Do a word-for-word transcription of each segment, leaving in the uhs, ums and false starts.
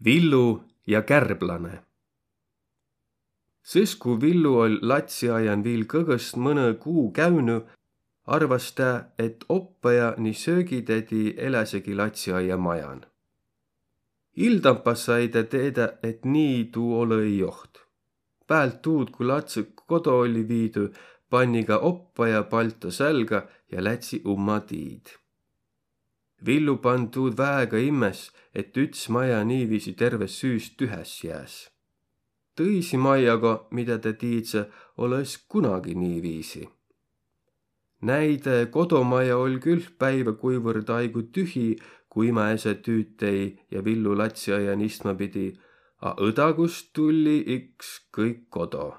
Villu ja kärblane. Sys, ku Villu oll' latsiaian viil kõgõst mõnõ kuu käünü, arvas' tä, et oppaja ni söögitädi eläsegi latsiaia majan. Ildampa sai tä teedä, et nii tuu olõ-i joht. Päält tuud, ku latsõ kodo olli viidü, panni ka oppaja palto sälgä ja lätsi umma tiid. Villu pann' tuud väega immes, et üts maja niiviisi terve süü tühäs jääs. Tõisi maiaga, midä tä tiidsä, olõ-s kunagi niiviisi. Näide kodomaja oll' külh päiväkuivõrd aigu tühi, ku ima-esä tüütäi ja Villu latsiaian istma pidi, a õdagust tulli iks kõik kodo.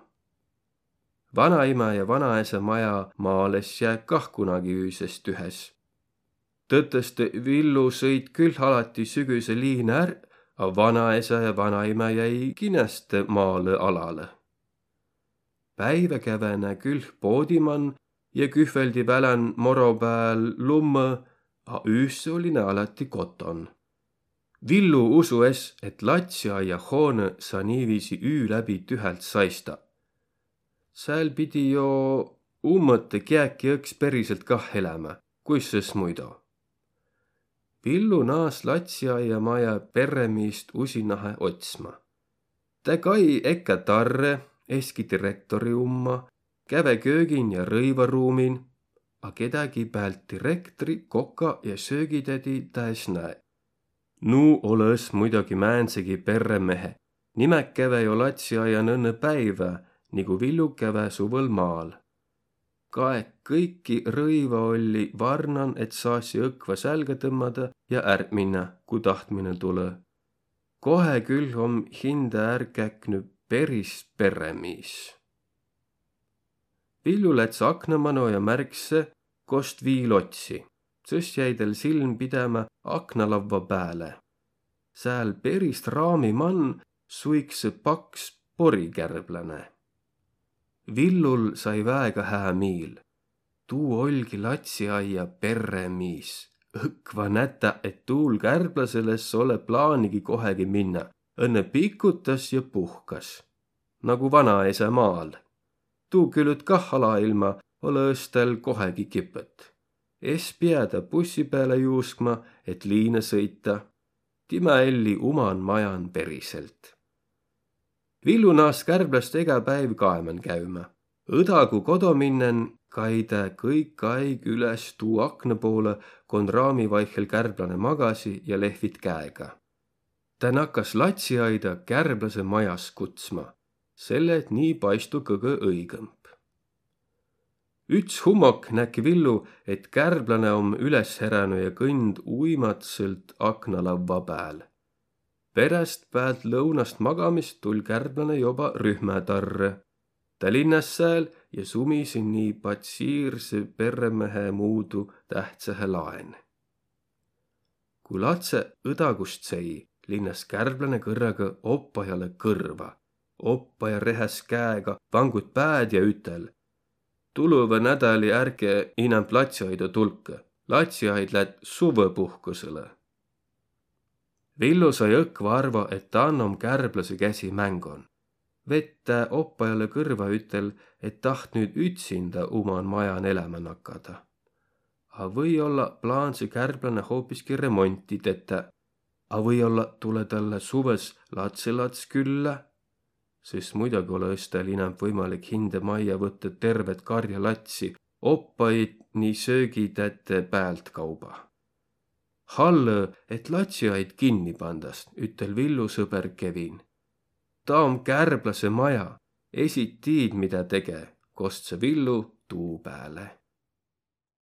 Vanaimä ja vanaesä maja maal es jää kah kunagi üüses tühäs. Tõtõstõ Villu sõit külh alati sügüse liina är, a vanaesä ja vanaimä jäi kinäste maalõ alalõ. Päivä käve nä külh poodi man ja kühveldi välän moro pääl lummõ, a üüsse olli nä alati koton. Villu usu es, et latsiaia hoonõ saa niiviisi üü läbi tühält saista. Sääl pidi jo ummõtõ kiäki õks periselt kah elämä, kuis sõs muido. Villu naas' latsiaia maja perremiist usinahe otsma. Tä kai ekkä tarrõ, eski direktori umma, käve köögin ja rõivaruumin, a kedägi päält direktri, koka ja söögitädi tä es näe. Nuu olõ-s muidoki määndsegi perremehe. Nimäq käve jo latsiaian õnnõ päivä, nigu Villu käve suvõl maal. Kaeq kõiki rõiva olli varnan, et saasi õkva sälgä tõmmada ja ärq minnä, ku tahtminõ tulõ. Kohe külh om hindä är käknü peris perremiis. Villu läts akna mano ja märksä, kost viil otsi. Sõs jäi täl silm pidämä aknalavva pääle. Sääl perist raami man suiksõ paks porikärblane. Villul sai väega hää miil. Tuu oll'gi latsiaia perremiis. Õkva nätä, et tuul kärblasel es olõ plaanigi kohegi minnä, õnnõ pikutas ja puhkas. Nagu vanaesä maal. Tuu külüt kah alailma olõ-s täl kohegi kipõt. Es piä tä bussi pääle juuskma, et liina sõita. Timä elli uman majan periselt. Villu naas' kärblast egä päiv kaeman käümä. Õdagu kodo minnen kai tä kõik aig üles tuu akna poolõ, kon raami vaihhel kärblane magasi ja lehvit käega. Tä nakas latsiaida kärblase majas kutsma, selle et nii paistu kõgõ õigõmb. Üts hummok näkki Villu, et kärblane om üles heränü ja kõnd uimatsõlt aknalavva pääl. Peräst päält lõunast magamist tull' kärblane joba rühmätarrõ. Tä linnas' sääl ja sumisi nii patsiirsõ perremehe muudu tähtsähe laen. Ku latsõ õdagust sei, linnas' kärblane kõrraga oppajalõ kõrva. Oppaja rehäs käega, vangut pääd ja ütel: Tulõva nädäli ärke inämb latsiaida tulkõ. Latsiaid lät suvõpuhkusõlõ. Villu sai õkva arvo, et dan om kärblasõ käsi mängon. Vett tä oppajalõ kõrva ütel, et taht nüüt ütsindä uman majan elämä nakada. A või-olla plaansõ kärblane hoopiski remonti tetä. A või-olla tulõ talle suvõs latsõlats küllä. Sõs muidogi olõ-s täl inämb võimalik hindä maija võtta tervet karja latsi, oppaid ni söögitätte päältkauba. Hallõ, et latsiaid kinni pandas, ütel Villu sõber Kevin. Taa om kärblasõ maja, esi tiid, midä tege, kostsõ Villu tuu pääle.